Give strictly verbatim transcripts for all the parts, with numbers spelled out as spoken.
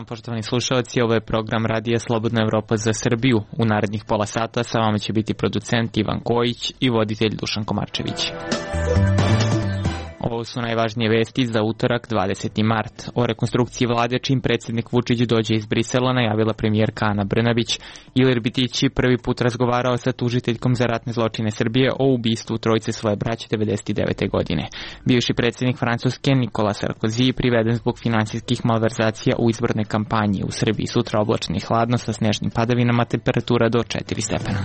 dan, poštovani slušalci, ovo je program Radija Slobodna Evropa za Srbiju. U narednih pola sata sa vama će biti producent Ivan Kojić i voditelj Dušan Komarčević. Ovo su najvažnije vesti za utorak dvadeseti mart. O rekonstrukciji vlade čim predsjednik Vučić dođe iz Brisela najavila premijerka Ana Brnabić. Ilir Bitići prvi put razgovarao sa tužiteljkom za ratne zločine Srbije o ubistvu trojice svoje braće devedeset devete godine. Bivši predsjednik Francuske Nikola Sarkozy priveden zbog finansijskih malverzacija u izbornoj kampanji. U Srbiji sutra oblačno i hladno sa snežnim padavinama, temperatura do četiri stepena.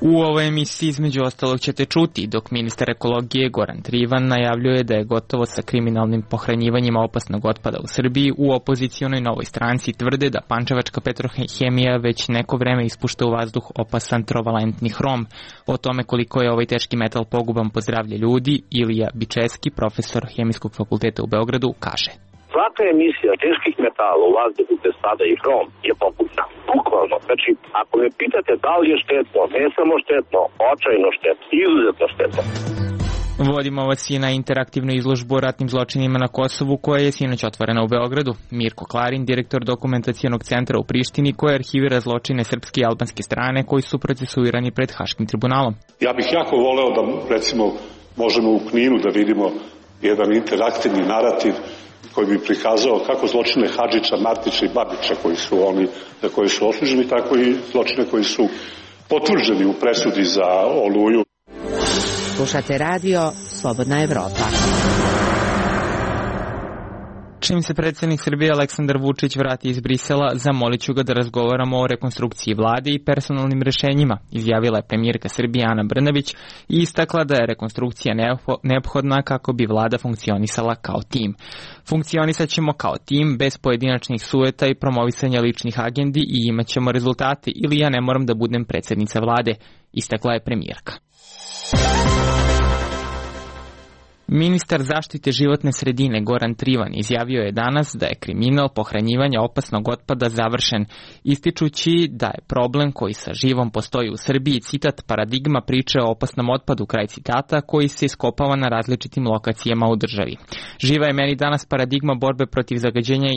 U ovoj emisiji između ostalog ćete čuti dok ministar ekologije Goran Trivan najavljuje da je gotovo sa kriminalnim pohranjivanjima opasnog otpada u Srbiji, u opozicionoj Novoj stranci tvrde da pančevačka Petrohemija već neko vreme ispušta u vazduh opasan trovalentni hrom. O tome koliko je ovaj teški metal poguban po zdravlje ljudi, Ilija Bičeski, profesor Hemijskog fakulteta u Beogradu, kaže: Svaka emisija teških metala u vazduhu gde spada i hrom je pogubna. Bukvalno, znači, ako me pitate da li je štetno, ne samo štetno, očajno štetno, izuzetno štetno. Vodimo vas i na interaktivnu izložbu o ratnim zločinima na Kosovu koja je sinoć otvorena u Beogradu. Mirko Klarin, direktor dokumentacionog centra u Prištini, koji arhivira zločine srpske i albanske strane koji su procesuirani pred Haškim tribunalom. Ja bih jako voleo da, recimo, možemo u Kninu da vidimo jedan interaktivni narativ koji bi prikazao kako zločine Hadžića, Martića i Babića koji su oni, za koje su osuđeni, tako i zločine koji su potvrđeni u presudi za Oluju. Slušate radio Slobodna Evropa. Čim se predsjednik Srbije Aleksandar Vučić vrati iz Brisela, zamolit ću ga da razgovaramo o rekonstrukciji vlade i personalnim rešenjima, izjavila je premijerka Srbije Ana Brnabić i istakla da je rekonstrukcija neophodna kako bi vlada funkcionisala kao tim. Funkcionisat ćemo kao tim, bez pojedinačnih sujeta i promovisanja ličnih agendi i imat ćemo rezultate ili ja ne moram da budem predsjednica vlade, istakla je premijerka. Ministar zaštite životne sredine Goran Trivan izjavio je danas da je kriminal pohranjivanja opasnog otpada završen, ističući da je problem koji sa živom postoji u Srbiji, citat, paradigma priče o opasnom otpadu, kraj citata, koji se iskopava na različitim lokacijama u državi. Živa je meni danas paradigma borbe protiv zagađenja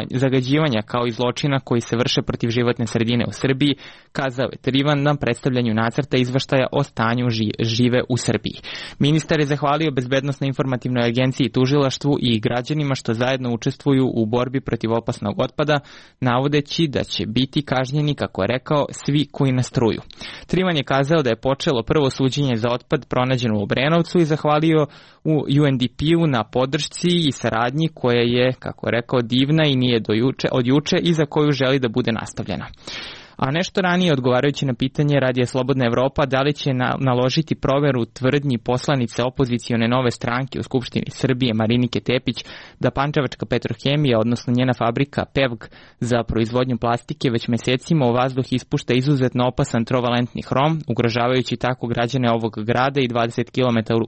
i zagađivanja kao i zločina koji se vrše protiv životne sredine u Srbiji, kazao je Trivan na predstavljanju nacrta izveštaja o stanju žive u Srbiji. Ministar je zahvalio bezbednosnoj informativnoj agenciji, tužilaštvu i građanima što zajedno učestvuju u borbi protiv opasnog otpada, navodeći da će biti kažnjeni, kako je rekao, svi koji nastruju. Trivan je kazao da je počelo prvo suđenje za otpad pronađeno u Obrenovcu i zahvalio u U N D P-u na podršci i saradnji koja je, kako je rekao, divna i nije do juče, od juče i za koju želi da bude nastavljena. A nešto ranije, odgovarajući na pitanje Radija Slobodna Evropa da li će na, naložiti proveru tvrdnji poslanice opozicione Nove stranke u Skupštini Srbije Marinike Tepić da pančevačka Petrohemija, odnosno njena fabrika P E V G za proizvodnju plastike već mesecima u vazduh ispušta izuzetno opasan trovalentni hrom, ugrožavajući tako građane ovog grada i dvadeset kilometara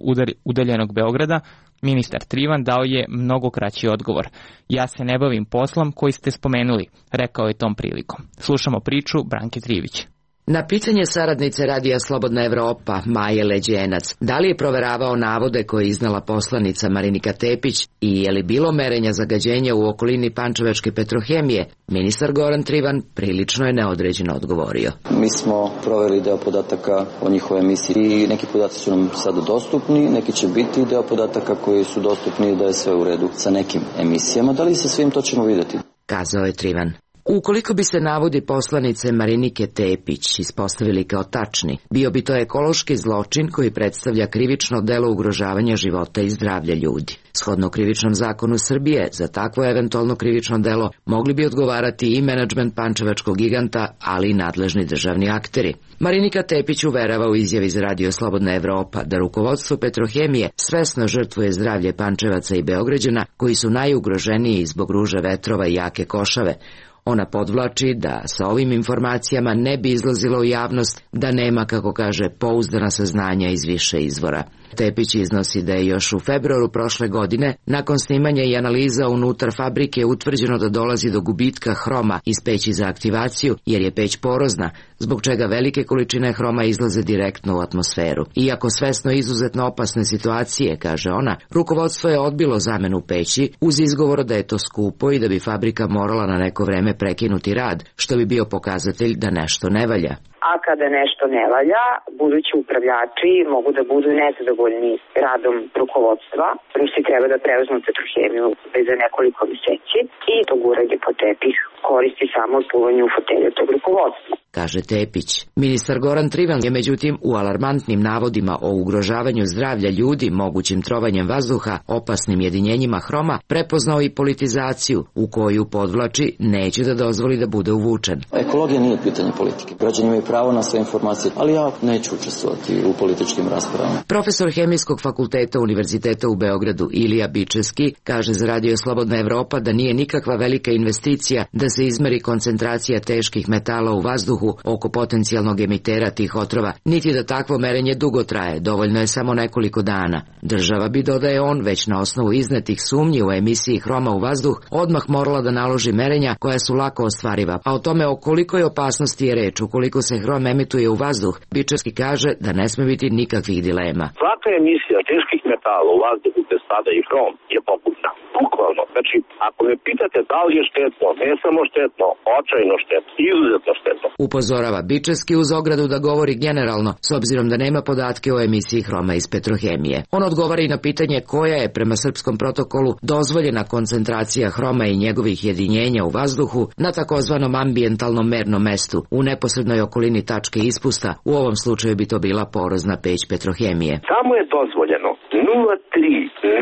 udaljenog Beograda, ministar Trivan dao je mnogo kraći odgovor. Ja se ne bavim poslom koji ste spomenuli, rekao je tom prilikom. Slušamo priču Branke Trivić. Na pitanje saradnice Radija Slobodna Evropa, Maje Leđenac, da li je proveravao navode koje je iznala poslanica Marinika Tepić i je li bilo merenja zagađenja u okolini pančevačke Petrohemije, ministar Goran Trivan prilično je neodređeno odgovorio. Mi smo proveli deo podataka o njihovoj emisiji i neki podaci su nam sada dostupni, neki će biti deo podataka koji su dostupni da je sve u redu sa nekim emisijama. Da li sa svim, to ćemo vidjeti, kazao je Trivan. Ukoliko bi se navodi poslanice Marinike Tepić ispostavili kao tačni, bio bi to ekološki zločin koji predstavlja krivično delo ugrožavanja života i zdravlja ljudi. Shodno krivičnom zakonu Srbije, za takvo eventualno krivično delo mogli bi odgovarati i menadžment pančevačkog giganta, ali i nadležni državni akteri. Marinika Tepić uverava u izjavi za Radio Slobodna Evropa da rukovodstvo Petrohemije svesno žrtvuje zdravlje Pančevaca i Beograđana koji su najugroženiji zbog ruže vetrova i jake košave. Ona podvlači da sa ovim informacijama ne bi izlazilo u javnost da nema, kako kaže, pouzdana saznanja iz više izvora. Tepić iznosi da je još u februaru prošle godine, nakon snimanja i analiza unutar fabrike, utvrđeno da dolazi do gubitka hroma iz peći za aktivaciju, jer je peć porozna, zbog čega velike količine hroma izlaze direktno u atmosferu. Iako svesno izuzetno opasne situacije, kaže ona, rukovodstvo je odbilo zamenu peći uz izgovor da je to skupo i da bi fabrika morala na neko vreme prekinuti rad, što bi bio pokazatelj da nešto ne valja. A kada nešto ne valja, budući upravljači mogu da budu nezadovoljni radom rukovodstva. Rusi treba da preuzmu Petrohemiju za nekoliko meseci i to guranje po tepih koristi samo od pluvanja u fotelju tog rukovodstva, kaže Tepić. Ministar Goran Trivan je međutim u alarmantnim navodima o ugrožavanju zdravlja ljudi mogućim trovanjem vazduha opasnim jedinjenjima hroma prepoznao i politizaciju u koju, podvlači, neće da dozvoli da bude uvučen. Ekologija nije pitanje politike. Građani imaju pravo na sve informacije, ali ja neću učestvovati u političkim raspravama. Profesor Hemijskog fakulteta Univerziteta u Beogradu Ilija Bičevski kaže za Radio Slobodna Evropa da nije nikakva velika investicija da se izmeri koncentracija teških metala u vazduhu oko potencijalnog emitera tih otrova, niti da takvo merenje dugo traje, dovoljno je samo nekoliko dana. Država bi, dodaje on, već na osnovu iznetih sumnji u emisiji hroma u vazduh, odmah morala da naloži merenja koja su lako ostvariva, a o tome o kolikoj opasnosti je reč ukoliko se hrom emituje u vazduh, Bičevski kaže da ne sme biti nikakvih dilema. Svaka emisija teških metala u vazduhu gde spada i hrom je poputna. Bukvalno, znači, ako me pitate da li je štetno, ne samo štetno, očajno štetno, izuzetno štetno. Upozorava Bičevski uz ogradu da govori generalno, s obzirom da nema podatke o emisiji hroma iz Petrohemije. On odgovara i na pitanje koja je prema srpskom protokolu dozvoljena koncentracija hroma i njegovih jedinjenja u vazduhu na takozvanom ambijentalnom mernom mestu u neposrednoj okolini tačke ispusta, u ovom slučaju bi to bila porozna peć Petrohemije. Samo je dozvoljeno nula zarez tri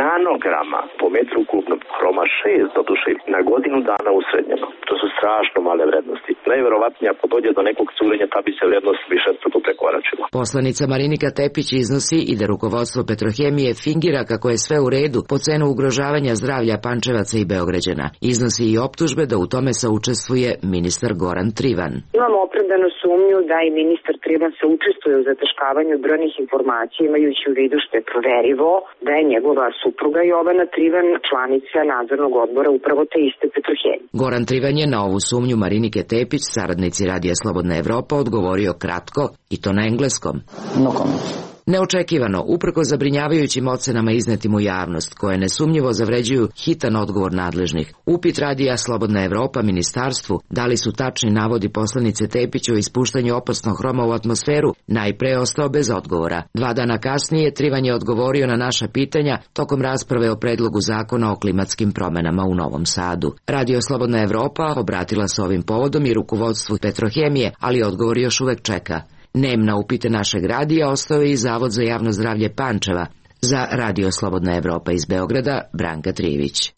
nanograma po metru kubnom, hroma šest doduše, na godinu dana usrednjeno. To su strašno male vrednosti. Najverovatnije ako dođe do nekog curenja, ta bi se vrednost više struto prekoračila. Poslanica Marinika Tepić iznosi i da rukovodstvo Petrohemije fingira kako je sve u redu po cenu ugrožavanja zdravlja Pančevaca i Beograđana. Iznosi i optužbe da u tome saučestvuje ministar Goran Trivan. Imamo opravdanu sumnju da i ministar Trivan se učestvuje u zataškavanju brojnih informacija, imajući u vidu što je proverivo da je njegova supruga Jovana Trivan članica nadzornog odbora upravo te iste Petrohemije. Goran Trivan je na ovu sumnju Marinike Tepić, saradnici Radija Slobodna Evropa, odgovorio kratko i to na engleskom. No comment. Neočekivano, uprko zabrinjavajućim ocenama iznetim u javnost, koje nesumnjivo zavređuju hitan odgovor nadležnih, upit Radija Slobodna Evropa ministarstvu da li su tačni navodi poslanice Tepić o ispuštanju opasnog hroma u atmosferu najpre ostao bez odgovora. Dva dana kasnije Trivan je odgovorio na naša pitanja tokom rasprave o predlogu zakona o klimatskim promenama u Novom Sadu. Radio Slobodna Evropa obratila se ovim povodom i rukovodstvu Petrohemije, ali odgovor još uvek čeka. Nem na upite našeg radija ostao je i Zavod za javno zdravlje Pančeva. Za Radio Slobodna Evropa iz Beograda, Branka Trivić.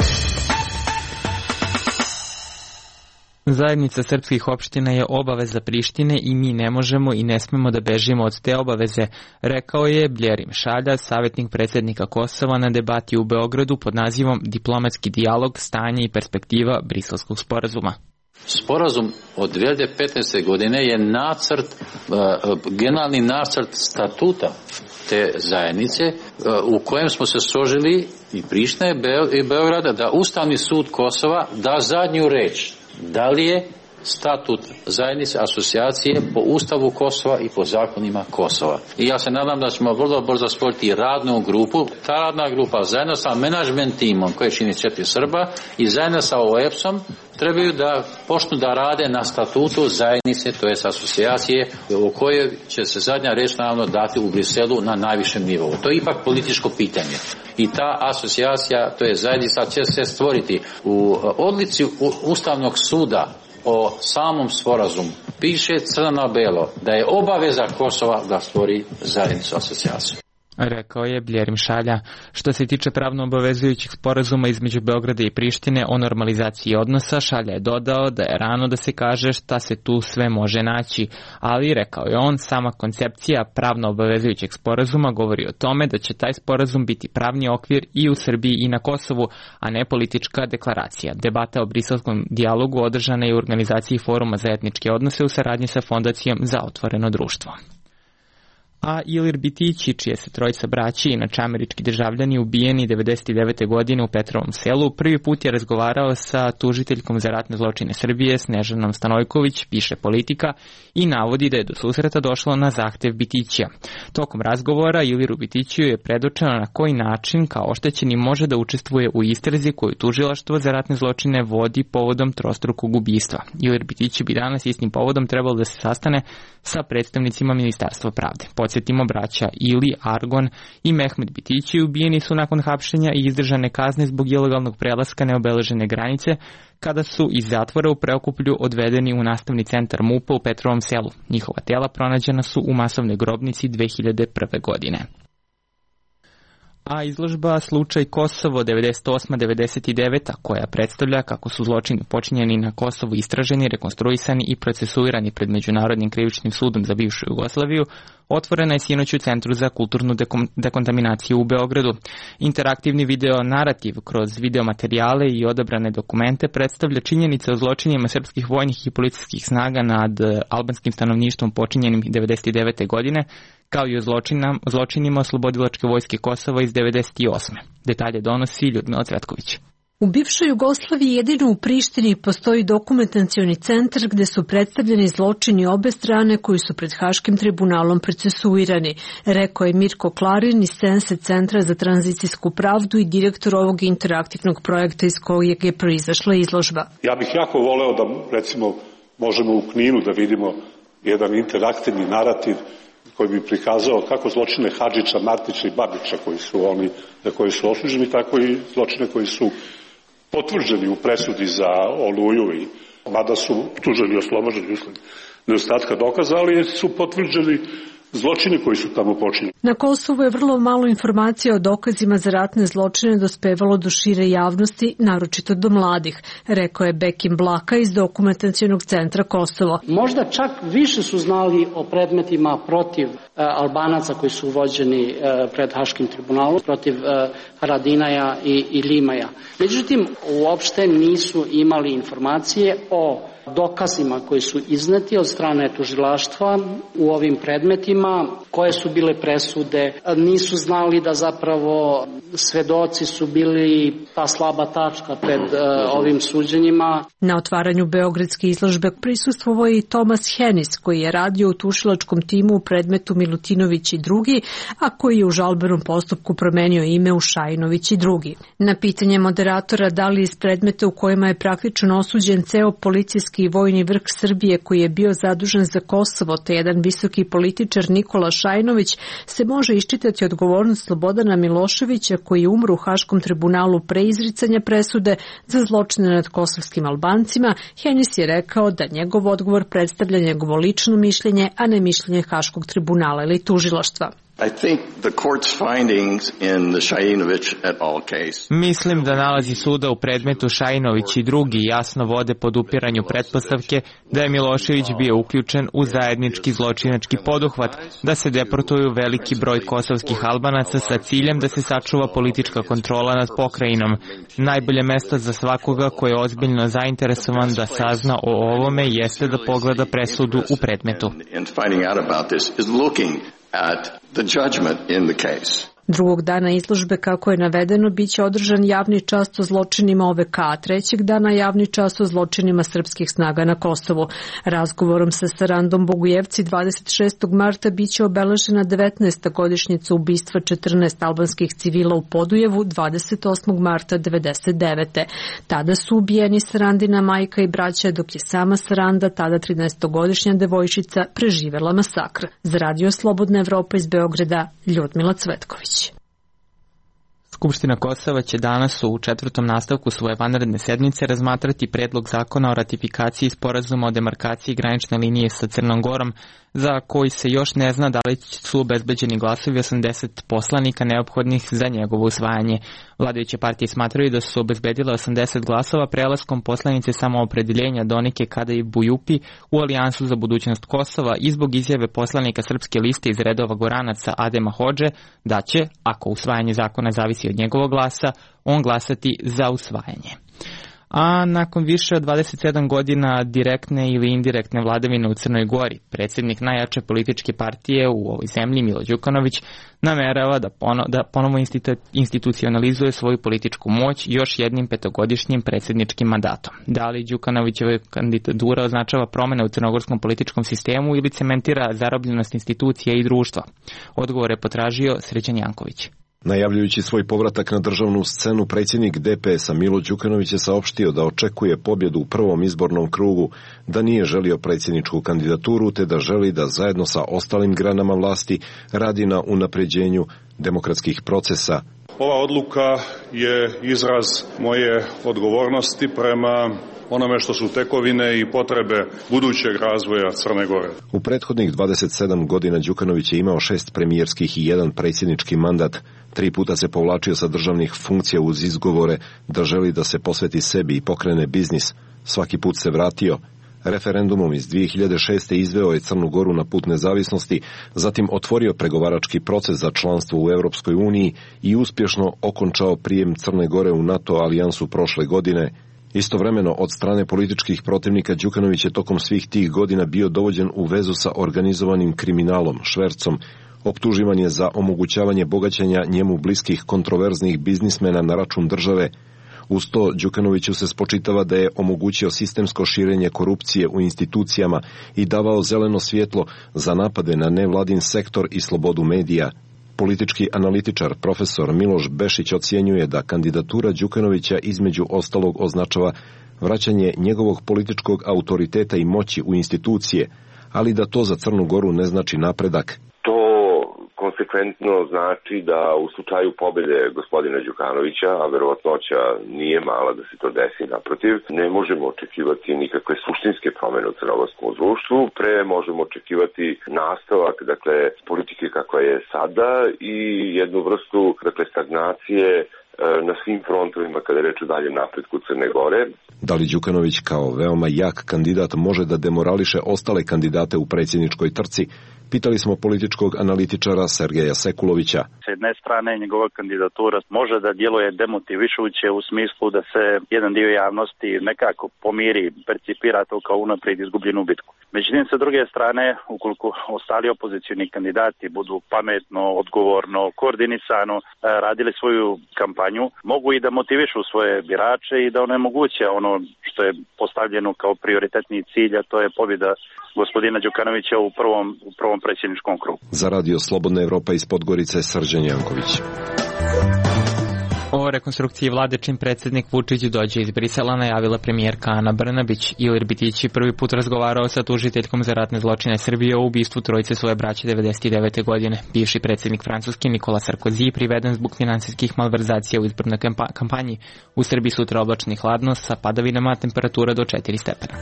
Zajednica srpskih opština je obaveza Prištine i mi ne možemo i ne smemo da bežimo od te obaveze, rekao je Bljerim Šalja, savjetnik predsjednika Kosova na debati u Beogradu pod nazivom Diplomatski dijalog, stanje i perspektiva Briselskog sporazuma. Sporazum od dvije hiljade petnaeste. godine je nacrt, generalni nacrt statuta te zajednice u kojem smo se složili i Priština i Beograda da Ustavni sud Kosova da zadnju reč. Da li je statut zajednice asocijacije po Ustavu Kosova i po zakonima Kosova. I ja se nadam da ćemo vrlo brzo stvoriti radnu grupu. Ta radna grupa zajedno sa menadžment timom koje čini četiri Srba i zajedno sa O E P S-om trebaju da počnu da rade na statutu zajednice, to je asocijacije, u kojoj će se zadnja reč naravno dati u Briselu na najvišem nivou. To je ipak političko pitanje. I ta asocijacija, to je zajednica, će se stvoriti u odlici Ustavnog suda o samom sporazumu. Piše crno na belo da je obaveza Kosova da stvori zajednicu asocijaciju. Rekao je Bljerim Šalja. Što se tiče pravno obavezujućih sporazuma između Beograda i Prištine o normalizaciji odnosa, Šalja je dodao da je rano da se kaže šta se tu sve može naći, ali rekao je on, sama koncepcija pravno obavezujućeg sporazuma govori o tome da će taj sporazum biti pravni okvir i u Srbiji i na Kosovu, a ne politička deklaracija. Debata o briselskom dijalogu održana je u organizaciji Foruma za etničke odnose u saradnji sa Fondacijom za otvoreno društvo. A Ilir Bitići, čije se trojica braći, inače američki državljani, ubijeni devedeset devete godine u Petrovom Selu, prvi put je razgovarao sa tužiteljkom za ratne zločine Srbije, Snežanom Stanojković, piše Politika, i navodi da je do susreta došlo na zahtev Bitićija. Tokom razgovora Iliru Bitićiju je predočeno na koji način kao oštećeni može da učestvuje u istrazi koju tužilaštvo za ratne zločine vodi povodom trostrukog ubistva. Ilir Bitići bi danas istim povodom trebalo da se sastane sa predstavnicima Ministarstva pravde. Podsjetimo, braća Ili, Argon i Mehmet Bitići ubijeni su nakon hapšenja i izdržane kazne zbog ilegalnog prelaska neobeležene granice, kada su iz zatvora u Preokuplju odvedeni u nastavni centar MUP-a u Petrovom Selu. Njihova tela pronađena su u masovnoj grobnici dve hiljade prve. godine. A izložba Slučaj Kosovo devedeset osma devedeset deveta, koja predstavlja kako su zločini počinjeni na Kosovu istraženi, rekonstruisani i procesuirani pred Međunarodnim krivičnim sudom za bivšu Jugoslaviju, otvorena je sinoć u Centru za kulturnu dekom- dekontaminaciju u Beogradu. Interaktivni video narativ kroz videomaterijale i odabrane dokumente predstavlja činjenice o zločinima srpskih vojnih i policijskih snaga nad albanskim stanovništvom počinjenim devedeset devete. godine, kao i o zločinam, zločinima Oslobodilačke vojske Kosova iz devedeset osme. Detalje donosi Ljudmila Cvetković. U bivšoj Jugoslaviji jedino u Prištini postoji dokumentacioni centar gde su predstavljeni zločini obe strane koji su pred Haškim tribunalom procesuirani, rekao je Mirko Klarin iz Sense Centra za tranzicijsku pravdu i direktor ovog interaktivnog projekta iz kojeg je proizašla izložba. Ja bih jako voleo da, recimo, možemo u Kninu da vidimo jedan interaktivni narativ koji bi prikazao kako zločine Hadžića, Martića i Babića koji su oni, na koji su osuđeni, tako i zločine koji su potvrđeni u presudi za Oluju, i mada su tuženi i oslobođeni usled nedostatka dokaza, ali su potvrđeni zločini koji su tamo počinjeni. Na Kosovu je vrlo malo informacija o dokazima za ratne zločine dospevalo do šire javnosti, naročito do mladih, rekao je Bekim Blaka iz Dokumentacionog centra Kosovo. Možda čak više su znali o predmetima protiv uh, Albanaca koji su vođeni uh, pred Haškim tribunalom, protiv uh, Haradinaja i, i Limaja. Međutim, uopšte nisu imali informacije o dokazima koji su izneti od strane tužilaštva u ovim predmetima, koje su bile presude, nisu znali da zapravo svedoci su bili ta slaba tačka pred uh, ovim suđenjima. Na otvaranju beogradske izložbe prisustvovao je i Tomas Henis, koji je radio u tužilačkom timu u predmetu Milutinović i drugi, a koji je u žalbenom postupku promenio ime u Šajinović i drugi. Na pitanje moderatora da li iz predmeta u kojima je praktično osuđen ceo policijski i vojni vrh Srbije koji je bio zadužen za Kosovo, te jedan visoki političar Nikola Šajinović, se može iščitati odgovornost Slobodana Miloševića koji je umro u Haškom tribunalu pre izricanja presude za zločine nad kosovskim Albancima, Henis je rekao da njegov odgovor predstavlja njegovo lično mišljenje, a ne mišljenje Haškog tribunala ili tužilaštva. Mislim da nalazi suda u predmetu Šajinović i drugi jasno vode pod upiranju pretpostavke da je Milošević bio uključen u zajednički zločinački poduhvat, da se deportuju veliki broj kosovskih Albanaca sa ciljem da se sačuva politička kontrola nad pokrajinom. Najbolje mesto za svakoga ko je ozbiljno zainteresovan da sazna o ovome jeste da pogleda presudu u predmetu. At the judgment in the case. Drugog dana izložbe, kako je navedeno, biće održan javni čast o zločinima O V K, a trećeg dana javni čast o zločinima srpskih snaga na Kosovu. Razgovorom sa Sarandom Bogujevci dvadeset šestog marta biće obeležena devetnaesta godišnjica ubistva četrnaest albanskih civila u Podujevu dvadeset osmog marta devedeset devete. Tada su ubijeni Sarandina majka i braća, dok je sama Saranda, tada trinaestogodišnja devojčica, preživela masakr. Za Radio Slobodna Evropa iz Beograda, Ljudmila Cvetković. Skupština Kosova će danas u četvrtom nastavku svoje vanredne sedmice razmatrati predlog zakona o ratifikaciji sporazuma o demarkaciji granične linije sa Crnom Gorom, za koji se još ne zna da li su obezbeđeni glasovi osamdeset poslanika neophodnih za njegovo usvajanje. Vladajuće partije smatraju da su obezbedile osamdeset glasova prelaskom poslanice samoopredeljenja Donike Kada i Bujupi u Alijansu za budućnost Kosova i zbog izjave poslanika Srpske liste iz redova Goranaca Adema Hodže da će, ako usvajanje zakona zavisi od njegovog glasa, on glasati za usvajanje. A nakon više od dvadeset sedam godina direktne ili indirektne vladavine u Crnoj Gori, predsjednik najjače političke partije u ovoj zemlji, Milo Đukanović, namerava da, pono, da ponovo institu, institucionalizuje svoju političku moć još jednim petogodišnjim predsjedničkim mandatom. Da li Đukanovićeva kandidatura označava promene u crnogorskom političkom sistemu ili cementira zarobljenost institucija i društva? Odgovor je potražio Srećan Janković. Najavljujući svoj povratak na državnu scenu, predsjednik D P S-a Milo Đukanović je saopštio da očekuje pobjedu u prvom izbornom krugu, da nije želio predsjedničku kandidaturu, te da želi da zajedno sa ostalim granama vlasti radi na unapređenju demokratskih procesa. Ova odluka je izraz moje odgovornosti prema onome što su tekovine i potrebe budućeg razvoja Crne Gore. U prethodnih dvadeset sedam godina Đukanović je imao šest premijerskih i jedan predsjednički mandat. Tri puta se povlačio sa državnih funkcija uz izgovore da želi da se posveti sebi i pokrene biznis. Svaki put se vratio. Referendumom iz dvije hiljade šeste. izveo je Crnu Goru na put nezavisnosti, zatim otvorio pregovarački proces za članstvo u Europskoj uniji i uspješno okončao prijem Crne Gore u NATO alijansu prošle godine. Istovremeno, od strane političkih protivnika Đukanović je tokom svih tih godina bio dovođen u vezu sa organizovanim kriminalom, švercom. Optuživan je za omogućavanje bogaćenja njemu bliskih kontroverznih biznismena na račun države. Uz to, Đukanoviću se spočitava da je omogućio sistemsko širenje korupcije u institucijama i davao zeleno svjetlo za napade na nevladin sektor i slobodu medija. Politički analitičar profesor Miloš Bešić ocjenjuje da kandidatura Đukanovića između ostalog označava vraćanje njegovog političkog autoriteta i moći u institucije, ali da to za Crnu Goru ne znači napredak. To konsekventno znači da u slučaju pobjede gospodina Đukanovića, a verovatnoća nije mala da se to desi, naprotiv, ne možemo očekivati nikakve suštinske promjene u crnogorskom društvu, pre možemo očekivati nastavak, dakle, politike kakva je sada i jednu vrstu, dakle, stagnacije na svim frontovima kada je reč o daljem napretku Crne Gore. Da li Đukanović kao veoma jak kandidat može da demorališe ostale kandidate u predsjedničkoj trci? Pitali smo političkog analitičara Sergeja Sekulovića. S jedne strane njegova kandidatura može da djeluje demotivišuće u smislu da se jedan dio javnosti nekako pomiri, percipira to kao unaprijed izgubljenu bitku. Međutim, sa druge strane, ukoliko ostali opozicioni kandidati budu pametno, odgovorno, koordinisano radili svoju kampanju, mogu i da motivišu svoje birače i da onemoguće ono što je postavljeno kao prioritetni cilj, a to je pobjeda gospodina Đukanovića u prvom, u prvom predsjedničkom krugu. Za radio Slobodna Evropa iz Podgorice, Srđan Janković. O rekonstrukciji vlade čim predsjednik Vučić dođe iz Brisela najavila premijerka Ana Brnabić. Ilir Bitić je prvi put razgovarao sa tužiteljkom za ratne zločine Srbije o ubistvu trojice svoje braće devedeset devete. godine. Bivši predsjednik Francuske Nikola Sarkozy priveden zbog finansijskih malverzacija u izbornoj kampanji. U Srbiji sutra oblačno i hladno sa padavinama, temperatura do četiri stepena.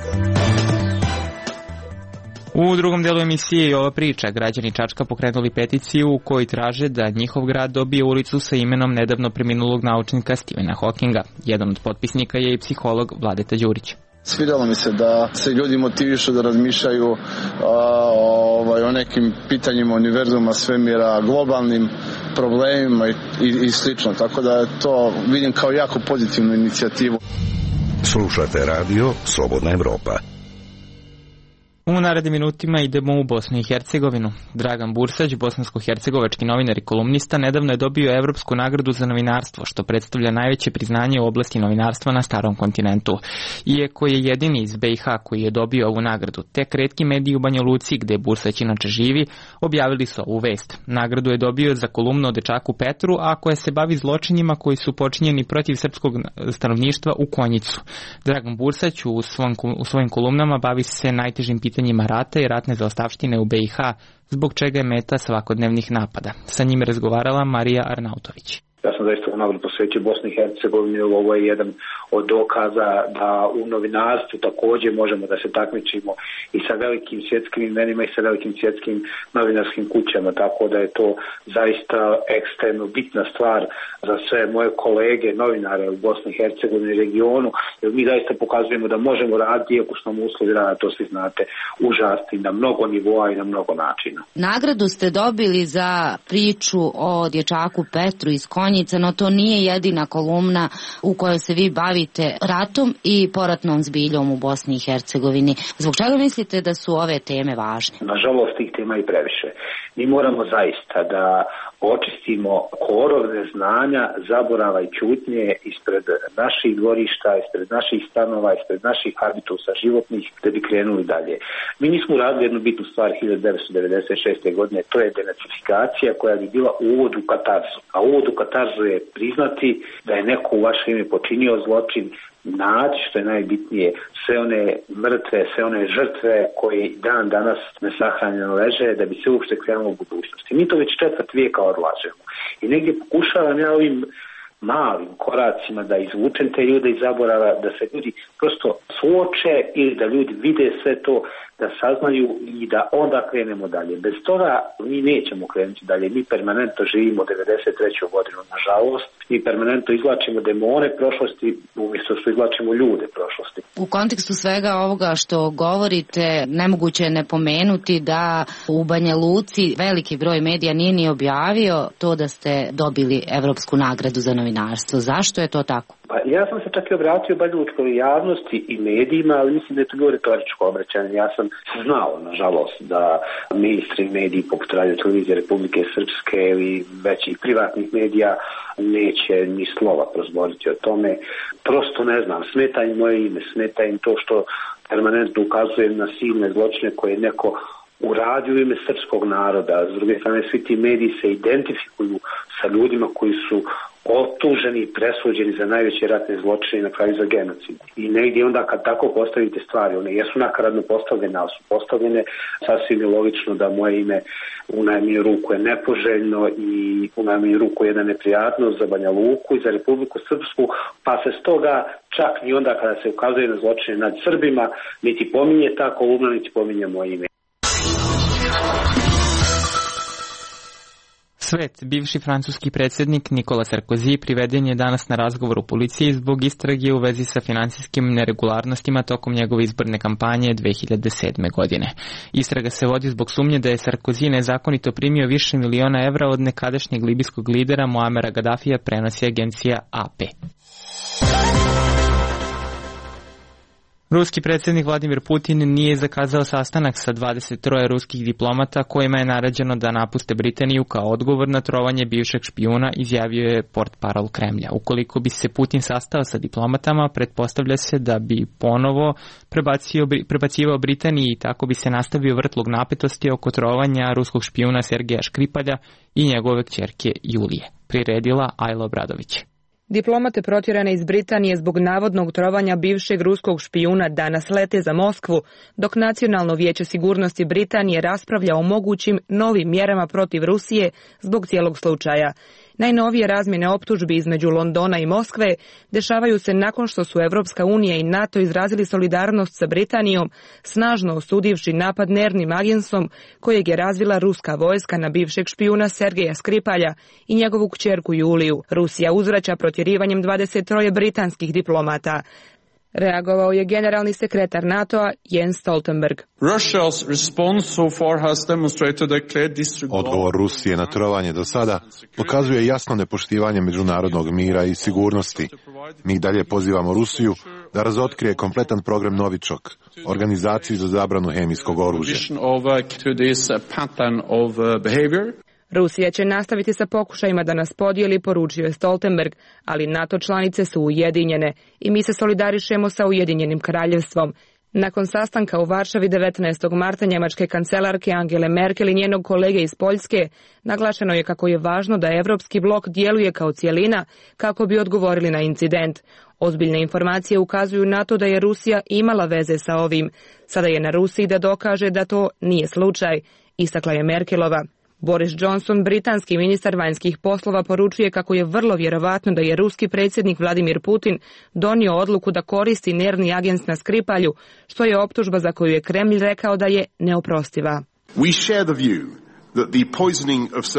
U drugom delu emisije i ova priča, građani Čačka pokrenuli peticiju u kojoj traže da njihov grad dobije ulicu sa imenom nedavno preminulog naučnika Stephena Hawkinga. Jedan od potpisnika je i psiholog Vladeta Đurić. Svidjelo mi se da se ljudi motivišu da razmišljaju a, ovaj, o nekim pitanjima univerzuma, svemira, globalnim problemima i, i, i slično, tako da to vidim kao jako pozitivnu inicijativu. Slušate radio Slobodna Evropa. U narednim minutima idemo u Bosnu i Hercegovinu. Dragan Bursać, bosansko-hercegovački novinar i kolumnista, nedavno je dobio Evropsku nagradu za novinarstvo, što predstavlja najveće priznanje u oblasti novinarstva na starom kontinentu. Iako je jedini iz B i H koji je dobio ovu nagradu, tek retki mediji u Banja Luci, gde Bursać inače živi, objavili su ovu vest. Nagradu je dobio za kolumnu o dečaku Petru, a koja se bavi zločinima koji su počinjeni protiv srpskog stanovništva u Konjicu. Dragan Bursać u, svom, u svojim kolumnama bavi se najtežim pitanjima pitanjima rata i ratne zaostavštine u B i H, zbog čega je meta svakodnevnih napada. Sa njim je razgovarala Marija Arnautović. Ja sam zaista u nagradu posvećio Bosni i Hercegovini. Ovo je jedan od dokaza da u novinarstvu također možemo da se takmičimo i sa velikim svjetskim imenima i sa velikim svjetskim novinarskim kućama, tako da je to zaista ekstremno bitna stvar za sve moje kolege novinare u Bosni i Hercegovini i regionu, jer mi zaista pokazujemo da možemo raditi, iako su nam uslovi rada, to svi znate, užasni na mnogo nivoa i na mnogo načina. Nagradu ste dobili za priču o dječaku Petru iz Konjica. stranica, no to nije jedina kolumna u kojoj se vi bavite ratom i poratnom zbiljom u Bosni i Hercegovini. Zbog čega mislite da su ove teme važne? Nažalost, tih tema i previše. Mi moramo zaista da očistimo korov neznanja, zaborava i ćutnje ispred naših dvorišta, ispred naših stanova, ispred naših habitusa životnih, da bi krenuli dalje. Mi nismo uradili jednu bitnu stvar hiljadu devetsto devedeset šeste. godine, to je denacifikacija koja bi bila uvod u katarzu. A uvod u katarzu je priznati da je neko u vaše ime počinio zločin, naći, što je najbitnije, sve one mrtve, sve one žrtve koje dan danas nesahranjeno leže, da bi se uopšte krenulo u budućnosti. Mi to već četvrt vijeka odlažemo. I negdje pokušavam ja ovim malim koracima da izvučem te ljude iz zaborava, da se ljudi prosto suoče ili da ljudi vide sve to, da saznaju i da onda krenemo dalje. Bez toga mi nećemo krenuti dalje. Mi permanentno živimo devedeset treću godinu, nažalost. Mi permanentno izvlačimo demone prošlosti umjesto što izvlačimo ljude prošlosti. U kontekstu svega ovoga što govorite, nemoguće je ne pomenuti da u Banja Luci veliki broj medija nije ni objavio to da ste dobili Evropsku nagradu za novinarstvo. Zašto je to tako? Pa ja sam se čak i obratio banjalučkoj javnosti i medijima, ali mislim da je to bilo retoričko obraćanje. Ja sam znao, nažalost, da ministri mediji poput Radio televizije Republike Srpske ili većih privatnih medija neće ni slova prozboriti o tome. Prosto ne znam, smeta im moje ime, smeta im to što permanentno ukazujem na silne zločine koje je neko uradio u ime srpskog naroda. S druge strane, svi ti mediji se identifikuju sa ljudima koji su optuženi i presuđeni za najveće ratne zločine i na kraju za genocid. I negdje onda kad tako postavite stvari, one jesu nakaradno postavljene, ali su postavljene, sasvim je logično da moje ime u najmanju ruku je nepoželjno i u najmanju ruku je jedna neprijatnost za Banja Luku i za Republiku Srpsku, pa se stoga čak i onda kada se ukazuje na zločine nad Srbima, niti pominje ta kolumna, niti pominje moje ime. Svet, bivši francuski predsjednik Nikola Sarkozy priveden je danas na razgovor u policiji zbog istrage u vezi sa finansijskim neregularnostima tokom njegove izborne kampanje dve hiljade sedme. godine. Istraga se vodi zbog sumnje da je Sarkozy nezakonito primio više miliona evra od nekadašnjeg libijskog lidera Muamera Gadafija, prenosi agencija A P. Ruski predsjednik Vladimir Putin nije zakazao sastanak sa dvadeset tri ruskih diplomata kojima je naređeno da napuste Britaniju kao odgovor na trovanje bivšeg špijuna, izjavio je portparol Kremlja. Ukoliko bi se Putin sastao sa diplomatama, pretpostavlja se da bi ponovo prebacio, prebacivao Britaniji i tako bi se nastavio vrtlog napetosti oko trovanja ruskog špijuna Sergeja Škripalja i njegove kćerke Julije, priredila Ajla Obradović. Diplomate protjerane iz Britanije zbog navodnog trovanja bivšeg ruskog špijuna danas lete za Moskvu, dok Nacionalno vijeće sigurnosti Britanije raspravlja o mogućim novim mjerama protiv Rusije zbog cijelog slučaja. Najnovije razmjene optužbi između Londona i Moskve dešavaju se nakon što su Evropska unija i NATO izrazili solidarnost sa Britanijom, snažno osudivši napad nervnim agensom kojeg je razvila ruska vojska na bivšeg špijuna Sergeja Škripalja i njegovu kćerku Juliju. Rusija uzvraća protjerivanjem dvadeset tri britanskih diplomata. Reagovao je generalni sekretar NATO-a Jens Stoltenberg. Odgovor Rusije na trovanje do sada pokazuje jasno nepoštivanje međunarodnog mira i sigurnosti. Mi dalje pozivamo Rusiju da razotkrije kompletan program Novičok, organizaciju za zabranu hemijskog oružja. Rusija će nastaviti sa pokušajima da nas podijeli, poručio je Stoltenberg, ali NATO članice su ujedinjene i mi se solidarišemo sa Ujedinjenim kraljevstvom. Nakon sastanka u Varšavi devetnaestog marta njemačke kancelarke Angele Merkel i njenog kolege iz Poljske, naglašeno je kako je važno da evropski blok djeluje kao cijelina kako bi odgovorili na incident. Ozbiljne informacije ukazuju na to da je Rusija imala veze sa ovim. Sada je na Rusiji da dokaže da to nije slučaj, istakla je Merkelova. Boris Johnson, britanski ministar vanjskih poslova, poručuje kako je vrlo vjerovatno da je ruski predsjednik Vladimir Putin donio odluku da koristi nervni agent na Skripalju, što je optužba za koju je Kremlj rekao da je neoprostiva.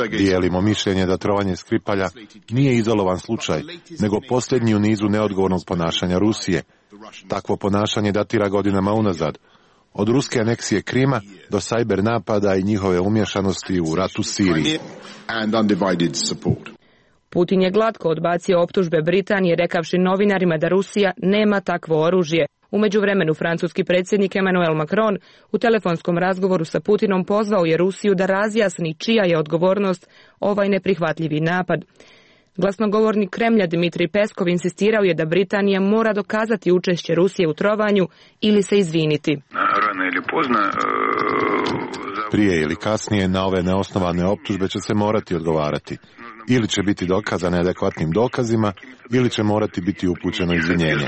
Dijelimo mišljenje da trovanje Skripalja nije izolovan slučaj, nego posljednji u nizu neodgovornog ponašanja Rusije. Takvo ponašanje datira godinama unazad. Od ruske aneksije Krima do sajber napada i njihove umješanosti u ratu Siriji. Putin je glatko odbacio optužbe Britanije rekavši novinarima da Rusija nema takvo oružje. U međuvremenu francuski predsjednik Emmanuel Macron u telefonskom razgovoru sa Putinom pozvao je Rusiju da razjasni čija je odgovornost ovaj neprihvatljivi napad. Glasnogovornik Kremlja Dmitrij Peskov insistirao je da Britanija mora dokazati učešće Rusije u trovanju ili se izviniti. Prije ili kasnije na ove neosnovane optužbe će se morati odgovarati. Ili će biti dokazane adekvatnim dokazima, ili će morati biti upućeno izvinjenje.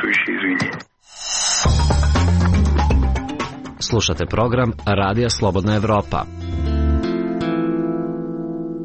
Slušate program Radija Slobodna Evropa.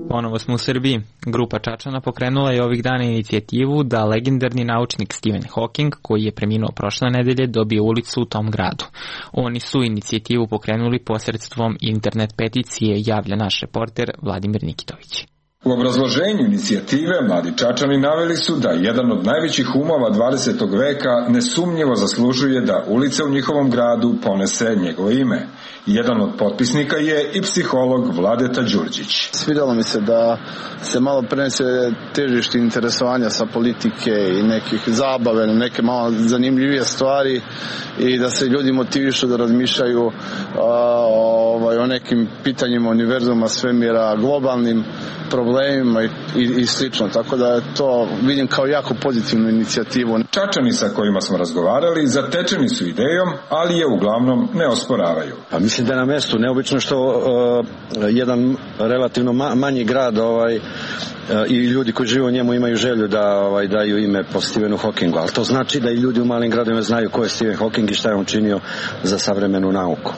Ponovo smo u Srbiji. Grupa Čačana pokrenula je ovih dana inicijativu da legendarni naučnik Stephen Hawking, koji je preminuo prošle nedelje, dobije ulicu u tom gradu. Oni su inicijativu pokrenuli posredstvom internet peticije, javlja naš reporter Vladimir Nikitović. U obrazloženju inicijative mladi Čačani naveli su da jedan od najvećih umova dvadesetog veka nesumnjivo zaslužuje da ulica u njihovom gradu ponese njegovo ime. Jedan od potpisnika je i psiholog Vladeta Đurđić. Svidjelo mi se da se malo prenese težište interesovanja sa politike i nekih zabave, neke malo zanimljivije stvari i da se ljudi motivišu da razmišljaju a, ovaj, o nekim pitanjima univerzuma, svemira, globalnim problemima i, i, i slično. Tako da je to vidim kao jako pozitivnu inicijativu. Čačani sa kojima smo razgovarali zatečeni su idejom, ali je uglavnom ne osporavaju. Pa mislim da je na mestu neobično što uh, jedan relativno ma, manji grad ovaj, uh, i ljudi koji žive u njemu imaju želju da ovaj, daju ime po Stephenu Hawkingu, ali to znači da i ljudi u malim gradovima znaju ko je Stephen Hawking i šta je on činio za savremenu nauku.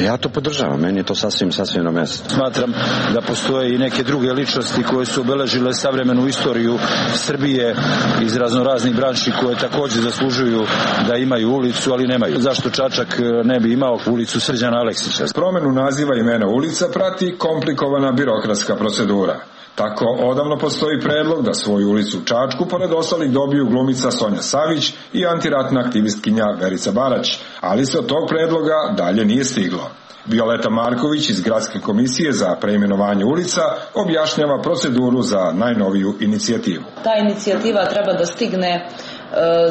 Ja to podržavam, meni je to sasvim, sasvim na mjestu. Smatram da postoje i neke druge ličnosti koje su obeležile savremenu istoriju Srbije iz raznoraznih branši koje također zaslužuju da imaju ulicu, ali nemaju. Zašto Čačak ne bi imao ulicu Srđana Aleksića? Promenu naziva imena ulica prati komplikovana birokratska procedura. Tako odavno postoji predlog da svoju ulicu u Čačku pored ostalih dobiju glumica Sonja Savić i antiratna aktivistkinja Verica Barać, ali se od tog predloga dalje nije stiglo. Violeta Marković iz Gradske komisije za preimenovanje ulica objašnjava proceduru za najnoviju inicijativu. Ta inicijativa treba da stigne e,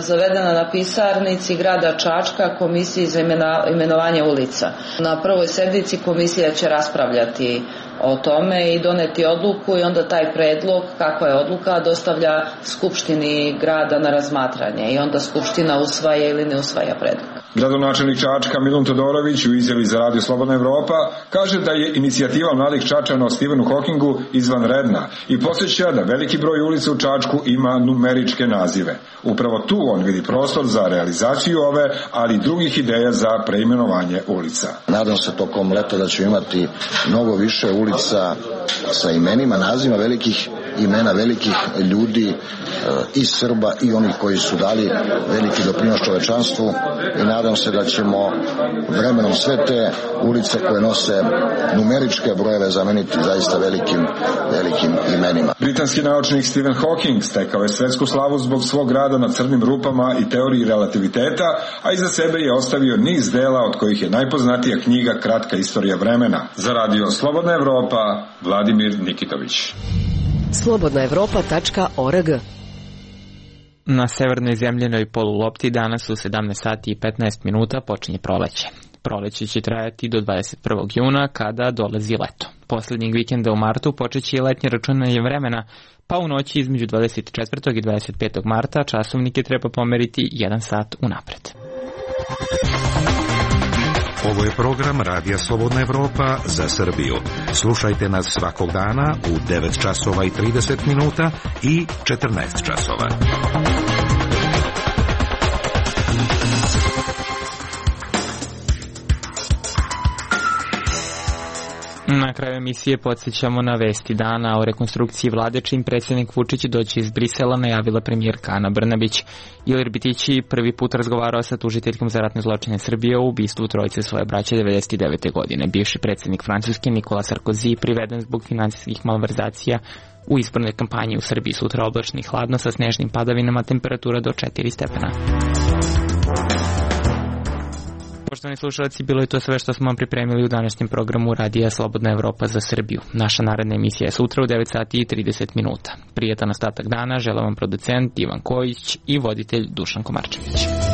zavedena na pisarnici grada Čačka komisiji za imena, imenovanje ulica. Na prvoj sednici komisija će raspravljati o tome i doneti odluku i onda taj predlog, kakva je odluka, dostavlja Skupštini grada na razmatranje i onda Skupština usvaja ili ne usvaja predlog. Gradonačelnik Čačka Milun Todorović u izjavi za Radio Slobodna Evropa kaže da je inicijativa mladih Čačana o Stephenu Hawkingu izvanredna i podsjeća da veliki broj ulica u Čačku ima numeričke nazive. Upravo tu on vidi prostor za realizaciju ove, ali i drugih ideja za preimenovanje ulica. Nadam se tokom leta da ćemo imati mnogo više ulica sa imenima, nazivima velikih imena velikih ljudi i Srba i onih koji su dali veliki doprinos čovečanstvu i nadam se da ćemo vremenom sve te ulice koje nose numeričke brojeve zameniti zaista velikim, velikim imenima. Britanski naučnik Stephen Hawking stekao je svetsku slavu zbog svog rada na crnim rupama i teoriji relativiteta, a iza sebe je ostavio niz dela od kojih je najpoznatija knjiga Kratka istorija vremena. Za Radio Slobodna Evropa, Vladimir Nikitović. slobodna evropa tačka org. Na severnoj zemljenoj polulopti danas u sedamnaest sati i petnaest minuta počinje proleće. Proleće će trajati do dvadeset prvog juna kada dolazi leto. Poslednjeg vikenda u martu počeće i letnje računanje vremena, pa u noći između dvadeset četvrtog i dvadeset petog marta časovnike treba pomeriti jedan sat unapred. Ovo je program Radija Slobodna Evropa za Srbiju. Slušajte nas svakog dana u devet časova i trideset minuta i četrnaest časova. Na kraju emisije podsjećamo na vesti dana o rekonstrukciji vlade, čim predsjednik Vučić doći iz Brisela, najavila premijerka Ana Brnabić. Ilir Bitići prvi put razgovarao sa tužiteljkom za ratne zločine Srbije o ubistvu trojice svoje braće devedeset devete godine. Bivši predsjednik Francuske Nikola Sarkozy priveden zbog finansijskih malverzacija u izbornoj kampanji u Srbiji. Sutra oblačno i hladno sa snežnim padavinama, temperatura do četiri stepena. Poštovani slušalci, bilo je to sve što smo vam pripremili u današnjem programu Radija Slobodna Evropa za Srbiju. Naša naredna emisija je sutra u devet sati i trideset minuta. Prijetan ostatak dana žele vam producent Ivan Kojić i voditelj Dušan Komarčević.